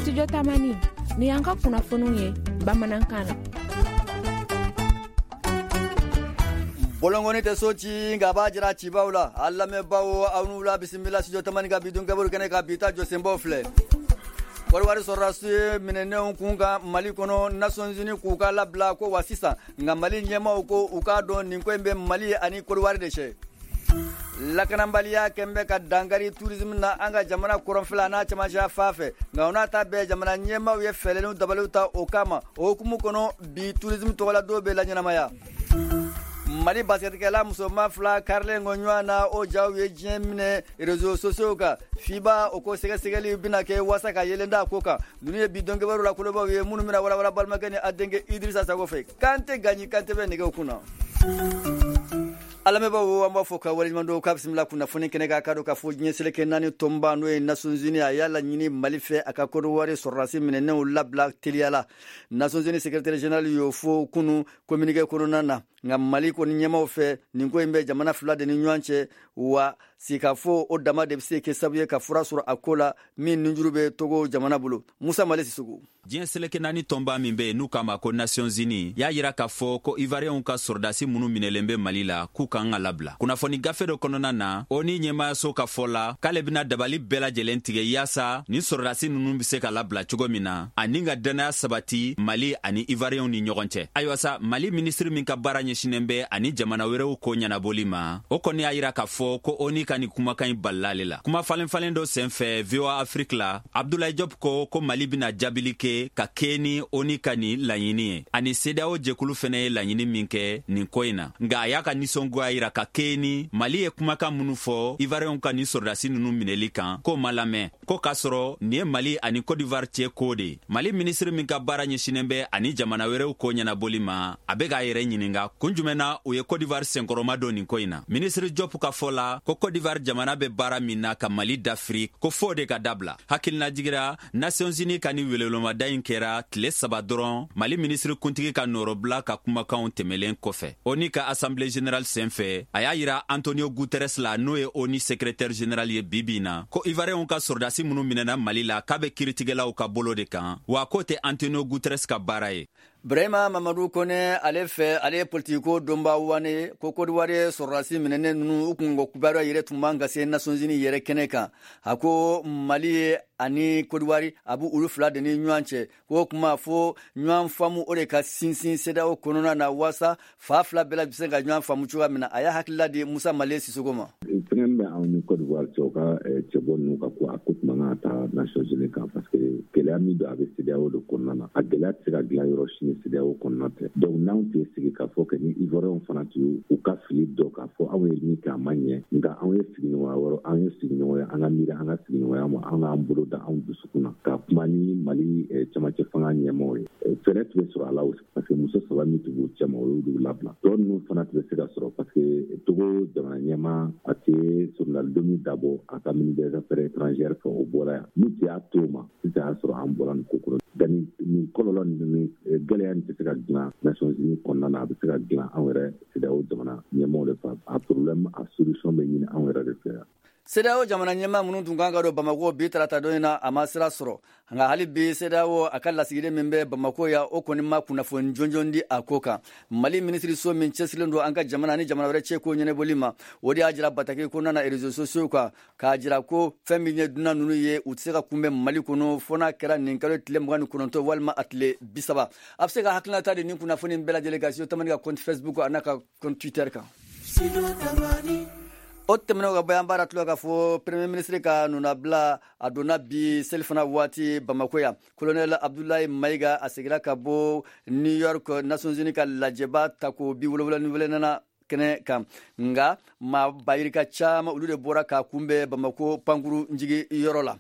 Studio Tamani, nin y'an ka kunnafoniw ye bamanankan na. Bɔlɔnkɔni tɛ so ci, nka a b'a jira cibaw la. A lamɛnbaaw, aw ni wula, bisimila Studio Tamani ka bi don kibaru kɛnɛ kan. Bi ta jɔsenbaw filɛ: Kɔdiwari sɔrɔdasi minɛnenw kun kan Mali kɔnɔ, Nations Unies k'u ka labila ko wa sisan, nka Mali ɲɛmaaw ko u k'a dɔn nin ko in bɛ Mali ani Kɔdiwari de cɛ. Lakanabaliya kɛn bɛ ka dankari tourisme na an ka jamana kɔrɔnfɛla n'a cɛmancɛ fan fɛ, nka o n'a ta bɛɛ, jamana ɲɛmaaw ye fɛɛrɛ ni dabaliw ta o kama. O hukumu kɔnɔ, bi tourisme tɔgɔladon bɛ laɲɛnamaya. Mali basketikɛla musoman fila karilen kɔ ɲɔgɔn na, o jaw ye diɲɛ minɛ réseaux sociaux kan. FIBA o ko sɛgɛsɛgɛli bɛna kɛ waasa ka yelen da ko kan. Ninnu ye bi don kibaru la kolobaw ye minnu bɛna walawala balimakɛ ni a denkɛ Idrissa Sago fɛ. Kante Gaɲi Kante bɛ nɛgɛw kunna. A lamɛnbaaw, an b'a fɔ ka waleɲuman dɔn, k'a bisimila kunnafoni kɛnɛ kan. K'a dɔn k'a fɔ diɲɛ seleke naani tɔnba, n'o ye Nations Unies, a y'a laɲini Mali fɛ a ka Kɔdiwari sɔrɔdasi minɛnenw labila teliya la. Nations Unies secrétaire général y'o fɔ kunu communiqué kɔnɔna na. Nka Mali kɔni ɲɛmaw fɛ, nin ko in bɛ jamana fila de ni ɲɔgɔn cɛ, wa sigikafɔ o dama de bɛ se kɛ sababu ye ka fura sɔrɔ a ko la min nunjuru bɛ Togo jamana bolo. Musa Male Sisoko. Diɲɛ seleke naani tɔnba min bɛ yen n'u k'a ma ko Nations Unies y'a yira k'a fɔ ko Ivoiriyɛnw ka sɔrɔdasi minnu minɛlen bɛ Mali la, k'u kan ka labila. Kunnafoni gafe dɔ kɔnɔna na, ONU ɲɛmaayaso ka fɔ la k'ale bɛna dabali bɛɛ lajɛlen tigɛ yaasa ni sɔrɔdasi ninnu bɛ se ka labila cogo min na, ani ka dannaya sabati Mali ani Ivoiriyɛnw ni ɲɔgɔn cɛ. Ayiwa sa, Mali minisiri min ka baara ɲɛsinnen bɛ ani jamana wɛrɛw ko ɲɛnabɔli ma, o kɔni y'a yira k'a fɔ ko ONU ka nin kumakan in balila ale la. Kuma falen falen dɔ senfɛ VOA Afrique la, Abdoulaye Diop ko ko Mali bɛna jaabili kɛ ka kɛɲɛ ni ONU ka nin laɲini ye, ani CEDEAO jɛkulu fɛnɛ ye laɲini min kɛ nin ko in na. Nka a y'a ka nisɔngoya yira ka kɛɲɛ ni Mali ye kumakan minnu fɔ Ivoiriyɛnw ka nin sɔrɔdasi ninnu minɛli kan, k'o ma lamɛn, ko k'a sɔrɔ nin ye Mali ani Cote d'Ivoire cɛ ko de ye. Mali minisiri min ka baara ɲɛsinnen bɛ ani jamana wɛrɛw ko ɲɛnabɔli ma, a bɛ k'a yɛrɛ ɲininka kun jumɛn na u ye Cote d'Ivoire senkɔrɔma don nin ko in na. Minisiri Diop ka fɔ la ko Cote d'Ivoire jamana bɛ baara min na ka Mali dafiri, ko fo de ka dabila. Hakilinajigira, Nations Unies ka nin welewelemada in kɛra tile 3 dɔrɔn Mali minisiri kuntigi ka nɔrɔbila ka kumakanw tɛmɛlen kɔfɛ ONU ka Assemblée générale senfɛ. A y'a yira Antonio Guterres la, n'o ye ONU secrétaire général ye bi bi na, ko Ivoiriyɛnw ka sɔrɔdasi minnu minɛna Mali la, k'a bɛ kiritigɛlaw ka bolo de kan, wa k'o tɛ Antonio Guterres ka baara ye. Brahima Mamadu Kone ale fɛ, ale ye politikiko donba wane ko Kodiwari sɔrɔdasi minɛnen ninnu u kunko kibaruya yɛrɛ tun man ka se Nations Unies yɛrɛ kɛnɛ kan. A ko Mali ye ani Kodiwari, a b'u olu fila de ni ɲɔgɔn cɛ, k'o kuma fo ɲɔgɔn faamu o de ka sinsin CEDEAO kɔnɔna na, waasa fa fila bɛɛ bɛ se ka ɲɔgɔn faamu cogoya min na. A y'a hakilila di Musa Male Sisoko ma. Fɛngɛ min bɛ anw ni Côte d'Ivoire cɛ, u ka cɛbɔ ninnu ka ko, a ko tun man kan ka taa Nations Unies kan, parce que gɛlɛya min don, a bɛ CEDEAO de kɔnɔna na. A gɛlɛya tɛ se ka dilan yɔrɔ si ni CEDEAO kɔnɔna tɛ. Donc n'anw tun ye sigi k'a fɔ kɛ ni Ivoiriens fana tun ye u ka fili dɔ k'a fɔ anw ye min kɛ, a ma ɲɛ, nka anw ye sigiɲɔgɔnya wɛrɛ, an ye sigiɲɔgɔnya, an ka miiri an ka sigiɲɔgɔnya ma, an k'an bolo da anw dusukun na ka kuma ni Mali cɛmancɛ fanga ɲɛmaaw ye, fɛɛrɛ tun bɛ sɔrɔ a la, parce que muso saba min tun b'u cɛma, o y'olu labila. Tɔ ninnu fana tun bɛ se ka sɔrɔ, parce que Togo jamana ɲɛmaa, a tɛ soronalidon dabɔ a ka ministre des Affaires étrangères fɛ, o bɔra yan. N'u tun y'a to o ma sisan, y'a sɔrɔ an bɔra nin ko kɔrɔ. Nka nin kɔlɔlɔ ni gɛlɛya nin tɛ se ka dilan Nations Unies kɔnɔna na, a bɛ se ka dilan anw yɛrɛ CEDEAO jamana ɲɛmaaw de fɛ. A problème, a solution bɛ ɲini anw yɛrɛ de fɛ yan. CEDEAO jamana ɲɛmaa minnu tun kan ka don Bamako bi tarata don in na, a ma sira sɔrɔ. Nka hali bi, CEDEAO a ka lasigiden min bɛ Bamako yan, o kɔni ma kunnafoni jɔnjɔn di a ko kan. Mali minisiriso min cɛsirilen don an ka jamana ni jamana wɛrɛ cɛ ko ɲɛnabɔli ma, o de y'a jira bataki kɔnɔna na réseaux sociaux kan, k'a jira ko fɛn min ye dunan ninnu ye, u tɛ se ka kunbɛn Mali kɔnɔ fo n'a kɛra nin kalo tile 29 walima a tile 30. A bɛ se ka hakilinata di nin kunnafoni bɛɛ lajɛlen kan Studio Tamani ka compte Facebook a n'a ka compte Twitter kan. O tɛmɛnen ka bɔ yan, baara tulo ka fɔ premier ministre ka nɔnabila, a donna bi selifana waati Bamako yan. Colonel Abdoulaye Mayiga, a segira ka bɔ New York, Nations Unies ka lajɛba tako 74nan kɛnɛ kan. Nka maa bayirika caman, olu de bɔra k'a kunbɛn Bamako pankuru njigi yɔrɔ la.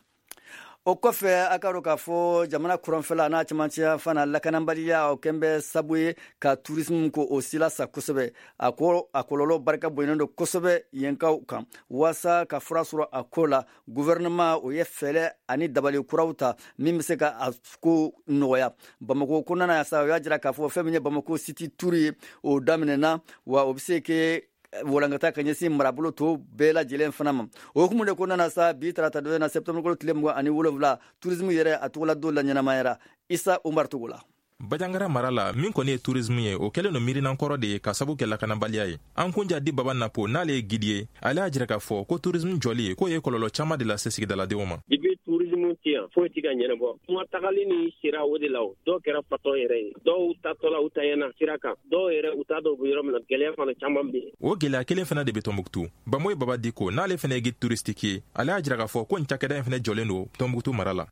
O kɔfɛ, a ka dɔn k'a fɔ jamana kɔrɔnfɛla n'a cɛmancɛ fana, lakanabaliya o kɛn bɛ sabu ye ka tourisme ko o sila sa kosɛbɛ. A ko a kɔlɔlɔ barika bonyanen don kosɛbɛ yenkaw kan. Waasa ka fura sɔrɔ a ko la, gouvernement o ye fɛɛrɛ ani dabali kuraw ta min bɛ se ka a ko nɔgɔya. Bamako kɔnɔna na sa, o y'a jira k'a fɔ fɛn min ye Bamako City Tour ye, o daminɛna, wa o bɛ se kɛ walankata ka ɲɛsin marabolo tɔw bɛɛ lajɛlen fana ma. O hukumu de kɔnɔna na sa, bi tarata don na septembre kalo tile 27, tourisme yɛrɛ a tɔgɔla don la ɲɛnamayara. Isa Umar Togola. Bajangara mara la, min kɔni ye tourisme ye, o kɛlen don miirinankɔrɔ de ye ka sabu kɛ lakanabaliya ye. An kunja di Baba Napo, n'ale ye guide ye, ale y'a jira k'a fɔ ko tourisme jɔli k'o ye kɔlɔlɔ caman de lase sigidaladenw ma. Depuis tourisme tɛ yan, foyi tɛ ka ɲɛnabɔ. Kuma tagali ni sira o de la, o dɔw kɛra fatɔ yɛrɛ ye, dɔw tatɔla u tanyana sira kan, dɔw yɛrɛ u t'a dɔn u bɛ yɔrɔ min na. Gɛlɛya fana caman bɛ yen. O gɛlɛya kelen fana de bɛ Tɔnbuktu. Bamoye Baba Diko, n'ale fana ye guide touristique ye, ale y'a jira k'a fɔ ko nin cakɛda in fana jɔlen don Tɔnbuktu mara la.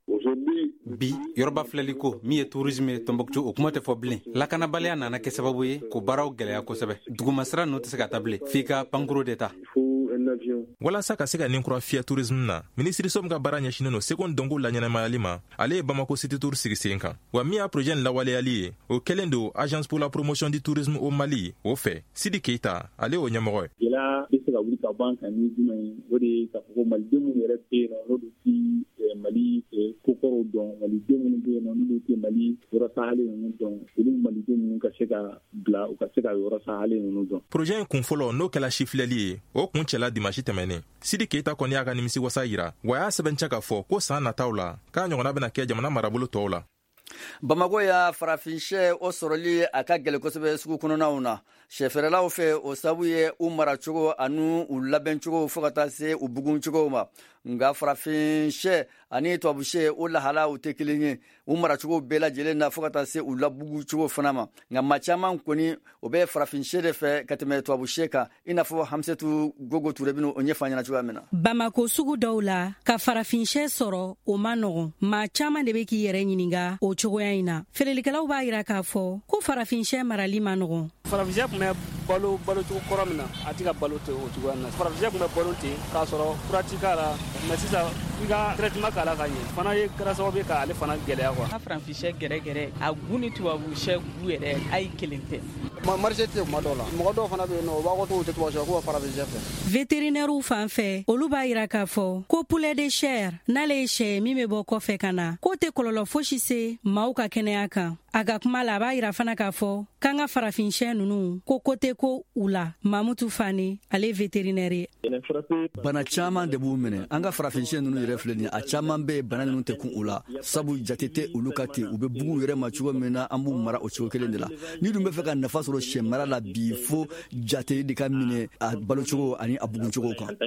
Bi yɔrɔba filɛli ko min ye tourisme ye Tɔnbɔkutu, o kuma tɛ fɔ bilen. Lakanabaliya nana kɛ sababu ye k'o baaraw gɛlɛya kosɛbɛ. Dugumasira ninnu tɛ se ka taa bilen, f'i ka pankuru de ta. Walasa ka se ka nin kura fiyɛ tourisme na, minisiriso min ka baara ɲɛsinnen don seko ni dɔnko laɲɛnamayali ma, ale ye Bamako City Tour sigi sen kan. Wa min y'a projet nin lawaleyali ye, o kɛlen don Agence pour la promotion du tourisme au Mali o fɛ. Sidi Keita, ale y'o ɲɛmɔgɔ ye. Gɛlɛya bɛ se ka wuli ka bɔ an kan ni jumɛn ye? O de ye k'a fɔ ko maliden minnu yɛrɛ bɛ yen nɔ, n'olu ti Mali kokɔrɔw dɔn, maliden minnu bɛ yen nɔ, n'olu tɛ Mali yɔrɔ sahalen ninnu dɔn, olu maliden ninnu ka se ka bila u ka se ka yɔrɔ sahalen ninnu dɔn. Projet in kun fɔlɔ, n'o kɛla sifilɛli ye, o kun cɛla dimanche tɛmɛnen. Sidi Keita kɔni y'a ka nimisi wasa yira, wa y'a sɛbɛntiya k'a fɔ ko san nataw la k'a ɲɔgɔnna bɛna kɛ jamana marabolo tɔw la. Bamako ya farafin sɛ o sɔrɔli a ka gɛlɛn kosɛbɛ sugu kɔnɔnaw na sɛfɛrɛlaw fɛ. O sabu ye u maracogo ani u labɛncogo, fo ka taa se u buguncogo ma. Nka farafin sɛ ani tubabu sɛ, o lahalaw tɛ kelen ye u maracogo bɛɛ lajɛlen na, fo ka taa se u labugucogo fana ma. Nka maa caman kɔni, o bɛ farafin sɛ de fɛ ka tɛmɛ tubabu sɛ kan, i n'a fɔ Hamisetu Gogo Ture bɛna o ɲɛfɔ an ɲɛna cogoya min na. Bamako sugu dɔw la, ka farafin sɛ sɔrɔ, o man nɔgɔn. Maa caman de bɛ k'i yɛrɛ ɲininka o cogoya in na. Feerelikɛlaw b'a yira k'a fɔ ko farafin sɛ marali man nɔgɔn. Farafin tun bɛ balo balocogo kɔrɔ min na, a tɛ ka balo ten o cogoya na. Farafin tun bɛ balo ten k'a sɔrɔ fura ti k'a la, mais sisan i ka traitement k'a la ka ɲɛ fana ye kɛra sababu ye k'ale fana gɛlɛya quoi. Farafin sɛ gɛrɛgɛrɛ, a gu ni tubabu sɛ gu yɛrɛ, a ye kelen tɛ. Marché tɛ kuma dɔw la, mɔgɔ dɔw fana bɛ yen nɔ, u b'a fɔ k'u tɛ tubabu sɛ, k'u bɛ farafin sɛ fɛ. Vétérinaires fan fɛ, olu b'a yira k'a fɔ ko poulet de chair, n'ale ye sɛ min bɛ bɔ kɔfɛ ka na, k'o tɛ kɔlɔlɔ fosi se maaw ka kɛnɛya kan. A ka kuma la, a b'a yira fana k'a fɔ k'an ka farafin sɛ ninnu, ko ko tɛ ko u la. Mamutu Fane, ale ye vétérinaire ye. Bana caman de b'u minɛ. An ka farafin sɛ ninnu yɛrɛ filɛ nin ye, a caman bɛ yen, bana ninnu tɛ kun u la, sabu jate tɛ olu ka ten. U bɛ bugu yɛrɛ ma cogo min na, an b'u mara o cogo kelen de la. Ni dun bɛ fɛ ka nafa sɔrɔ sɛ mara la bi, fo jate de ka minɛ a balocogo ani a buguncogo kan.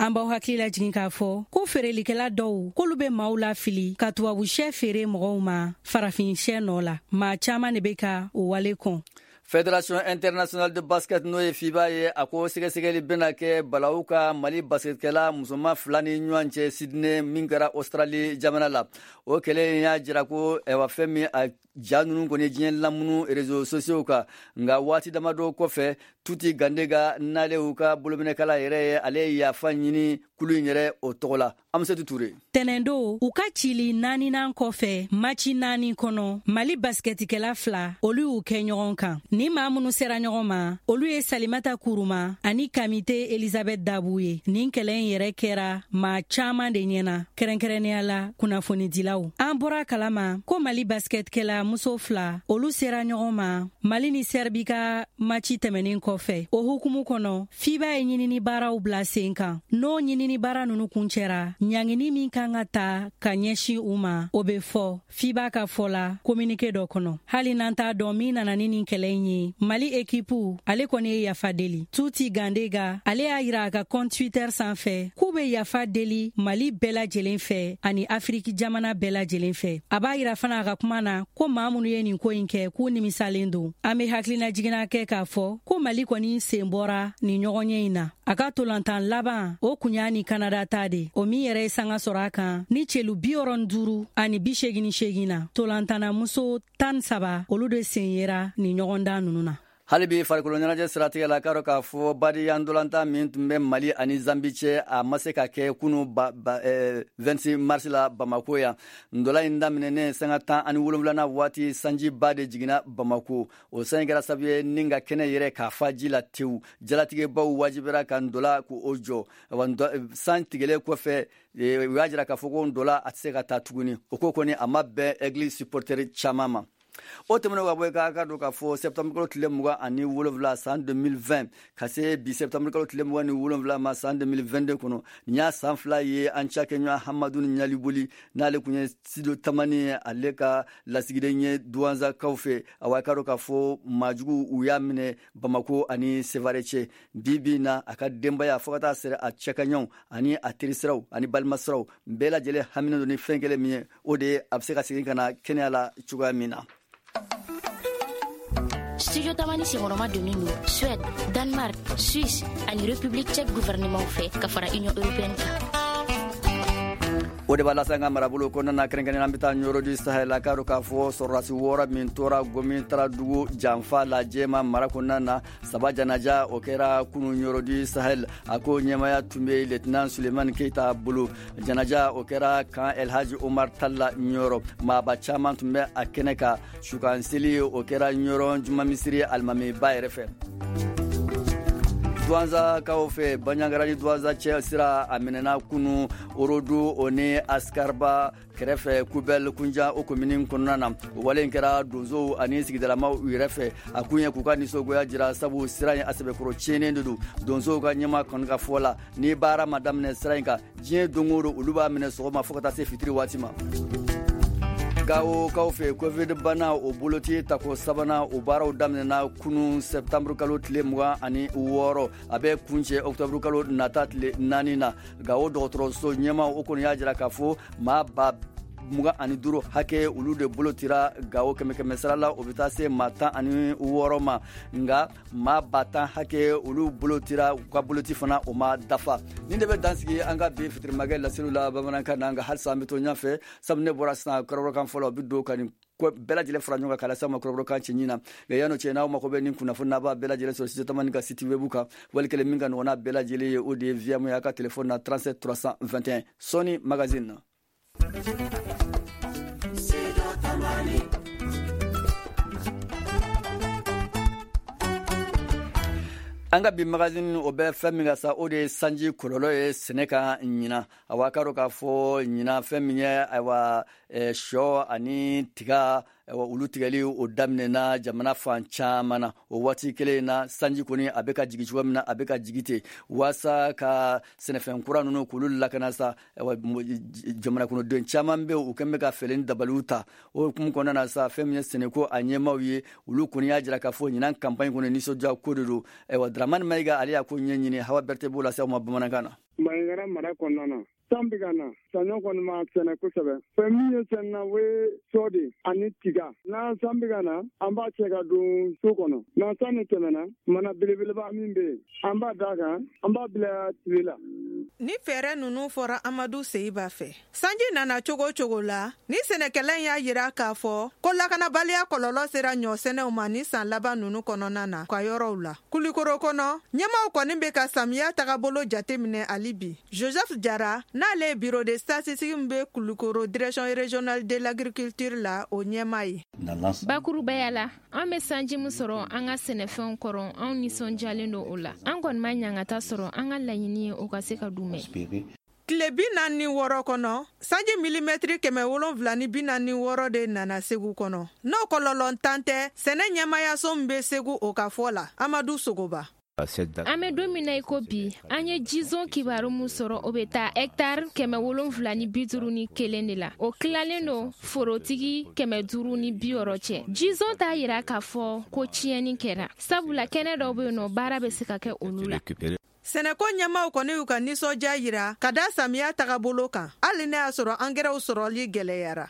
An b'aw hakili lajigin k'a fɔ ko feerelikɛla dɔw, k'olu bɛ maaw lafili ka tubabu sɛ feere mɔgɔw ma farafin sɛ nɔ la. Maa caman de bɛ ka o wale kɔn. Fédération internationale de basket, n'o ye FIBA ye, a ko sɛgɛsɛgɛli bɛna kɛ balawu ka Mali basketkɛla musoman fila ni ɲɔgɔn cɛ Sydney, min kɛra Australie jamana la. O kɛlɛ in y'a jira ko ɛwa, fɛn min a ja ninnu kɔni diɲɛ lamunu réseaux sociaux kan. Nka waati damadɔ kɔfɛ, Tuti Gandega, n'ale y'u ka bolominɛkala yɛrɛ ye, ale ye yafa ɲini kulu in yɛrɛ o tɔgɔ la. Amisetu Ture. Tɛnɛndo, u ka cili naaninan kɔfɛ maci 4 kɔnɔ, Mali basketikɛla fila, olu y'u kɛ ɲɔgɔn kan. Ni maa minnu sera ɲɔgɔn ma, olu ye Salimata Kuruma ani Kamite Elizabeth Dabu ye. Nin kɛlɛ in yɛrɛ kɛra maa caaman de ɲɛna, kɛrɛnkɛrɛnnenya la kunnafonidilaw. An bɔra kalama ko Mali basketkɛla muso fila, olu sera ɲɔgɔn ma Mali ni Sɛrbi ka maci tɛmɛnen kɔfɛ. O hukumu kɔnɔ, FIBA ye ɲinini baaraw bila sen kan. N'o ɲinini baara nunu kuncɛra, ɲangini min kan ka ta ka ɲɛsin u ma, o bɛ fɔ FIBA ka fɔ la communiqué dɔ kɔnɔ. Hali n'an t'a dɔn min nana ni nin kɛlɛ in ye, Mali ekipu, ale kɔni ye yafa deli. Tuti Gandega, ale y'a yira a ka compte Twitter sanfɛ k'u bɛ yafa deli Mali bɛɛ lajɛlen fɛ ani Afiriki jamana bɛɛ lajɛlen fɛ. A b'a yira fana a ka kuma na ko maa minnu ye nin ko in kɛ, k'u nimisalen don. An bɛ hakilina jiginna kɛ k'a fɔ ko Mali kɔni sen bɔra nin ɲɔgɔnye in na. A ka tolantan laban, o kun y'a ni Kanada ta de, o min yɛrɛ ye sanga sɔrɔ a kan ni celu 65 88 na. Tolantanna muso 13, olu de sen yera nin ɲɔgɔndan ninnu na. Hali bi farikolo ɲɛnajɛ siratigɛ la, k'a dɔn k'a fɔ badenya ntolantan min tun bɛ Mali ani Zambi cɛ, a ma se ka kɛ kunu ba, ba, 26 mars la Bamako yan. Ntola in daminɛnen sanga 17nan waati, sanjiba de jiginna Bamako. O sanji kɛra sababu ye ni ka kɛnɛ yɛrɛ k'a fa ji la tewu. Jalatigɛbaw wajibira ka ntola k'o jɔ. San tigɛlen kɔfɛ, u y'a jira k'a fɔ ko ntola a tɛ se ka taa tuguni. O ko kɔni a ma bɛn Aigle supporter caman ma. O tɛmɛnen ka bɔ k'a ka don k'a fɔ septembre kalo tile 27 san 2020 ka se bi septembre kalo tile 27 ma san 2022 kɔnɔ, nin y'a san 2 ye an cakɛɲɔgɔn Hamadu Ɲaliboli, n'ale kun ye Studio Tamani ale ka lasigiden ye Duwanzakaw fɛ. Awa, k'a dɔn k'a fɔ maajugu u y'a minɛ Bamako ani Sevare cɛ. Bi bi na, a ka denbaya fo ka taa sɛrɛ a cɛkaɲɔgɔnw ani a terisiraw ani balimasiraw bɛɛ lajɛlen haminen don ni fɛn kelen min ye, o de ye a bɛ se ka segin ka na kɛnɛya la cogoya min na. Studio Tamani senkɔrɔma donnen don Suède, Danemark, Suisse ani République tchèque gouvernement fɛ ka fara Union européenne kan. O de b'a lase an ka marabolo kɔnɔna na, kɛrɛnkɛrɛnnenya an bɛ taa Ɲɔrɔ du Sahel la. K'a dɔn k'a fɔ sɔrɔdasi 6 min tora Gomitara dugu janfa la Jɛma mara kɔnɔna na, 3 janaja o kɛra kunu Ɲɔrɔ du Sahel. A ko ɲɛmaya tun bɛ lieutenant Sulemani Keyita bolo. Janaja o kɛra kan Elhaji Omar Talla Ɲɔrɔ. Maaba caman tun bɛ a kɛnɛ kan. Sukanseli o kɛra Ɲɔrɔ jumamisiri alimamiba yɛrɛ fɛ. Duwanzakaw fɛ, Banjagara ni Duwanza cɛ sira a minɛna kunu Orodu o ni Askarba kɛrɛfɛ Kubɛl Kunja o komini kɔnɔna na. O wale in kɛra donsow ani sigidalamaw yɛrɛ fɛ. A kun ye k'u ka nisɔngoya jira, sabu sira in a sɛbɛkɔrɔ tiɲɛnen de don. Donsow ka ɲɛma kɔni ka fɔ la, ni baara ma daminɛ sira in kan, diɲɛ don o don olu b'a minɛ sɔgɔma fo ka taa se fitiri waati ma. Gawokaw fɛ, Covid bana o boloci tako sabanan o baaraw daminɛna kunu septembre kalo tile 26, a bɛ kuncɛ octobre kalo nata tile 4 na. Gawo dɔgɔtɔrɔso ɲɛmaw o kɔni y'a jira k'a fɔ maa 25,000 hakɛ olu de bolo tira Gawo, kɛmɛ sara la o bɛ taa se maa 16 ma, nka maa 10,000 hakɛ olu bolo tira, u ka boloci fana o ma dafa. Nin de bɛ dansigi an ka bi fitirimakɛ laseliw la bamanankan na. Nka halisa an bɛ to ɲɛfɛ, sabu ne bɔra sisan kɔrɔbɔrɔkan fɔlɔ bɛ don ka nin bɛɛ lajɛlen fara ɲɔgɔn kan k'a lase aw ma kɔrɔbɔrɔkan cɛɲi na. Nka yan'o cɛ, n'aw mako bɛ nin kunnafoni n'a b'a bɛɛ lajɛlen sɔrɔ Studio Tamani ka site web kan, wali kelen min ka nɔgɔn n'a bɛɛ lajɛlen ye, o de ye via mun ye a ka telefɔni na 37 321. Sɔɔni magazine na. An ka bi magazine o bɛ fɛn min kan sa, o de ye sanji kɔlɔlɔ ye sɛnɛ kan ɲinan. Awa, k'a dɔn k'a fɔ ɲinan fɛn min ye, ayiwa, sɔ ani tiga, ayiwa, olu tigɛli o daminɛna jamana fan caman na. O waati kelen na, sanji kɔni a bɛ ka jigin cogo min na, a bɛ ka jigin ten waasa ka sɛnɛfɛn kura ninnu k'olu lakana sa. Ayiwa, jamana kɔnɔden caman bɛ yen, u kɛn bɛ ka fɛɛrɛ ni dabaliw ta. O hukumu kɔnɔna na sa, fɛn min ye sɛnɛko a ɲɛmaaw ye, olu kɔni y'a jira k'a fɔ ɲinan campagne kɔni nisɔndiya ko de don. Ayiwa, Dramani Mayiga ale y'a ko ɲɛɲini, Hawa Berete b'o lase aw ma bamanankan na. Banjagara mara kɔnɔna na, san bɛ ka na, saɲɔ kɔni ma sɛnɛ kosɛbɛ. Fɛn min ye sɛnɛ na, o ye sɔ de ani tiga. N'a san bɛ ka na, an b'a cɛ ka don so kɔnɔ. N'a san ni tɛmɛna, mana belebeleba min bɛ yen, an b'a d'a kan, an b'a bila tile la. Ni fɛɛrɛ ninnu fɔra Amadu Seyiba fɛ, sanji nana cogo cogo la, ni sɛnɛkɛla in y'a yira k'a fɔ ko lakanabaliya kɔlɔlɔ sera ɲɔsɛnɛw ma ni san laban ninnu kɔnɔna na ka yɔrɔw la. Kulikoro kɔnɔ, ɲɛmaw kɔni bɛ ka samiya tagabolo jateminɛ hali bi. Joseph Jara, n'ale ye bureau de statistique min bɛ Kulikoro direction régionale de l'agriculture la, o ɲɛmaa ye. Bakurubaya la, an bɛ sanji min sɔrɔ an ka sɛnɛfɛnw kɔrɔ, anw nisɔndiyalen don o la. An kɔni ma ɲangata sɔrɔ, an ka laɲini ye o ka se ka dunmɛ. Tile 46 kɔnɔ, sanji milimɛtiri 746 de nana Segu kɔnɔ. N'o kɔlɔlɔntan tɛ, sɛnɛ ɲɛmayaso min bɛ Segu, o ka fɔ la, Amadu Sogoba. An bɛ don min na i ko bi, an ye jizon kibaru min sɔrɔ, o bɛ taa hɛkitari 751 de la. O tilalen don forotigi 560 cɛ. Jizon t'a yira k'a fɔ ko tiɲɛni kɛra, sabula kɛnɛ dɔw bɛ yen nɔ, baara bɛ se ka kɛ olu la. Sɛnɛko ɲɛmaw kɔni y'u ka nisɔndiya yira ka da samiya tagabolo kan, hali n'a y'a sɔrɔ angɛrɛw sɔrɔli gɛlɛyara.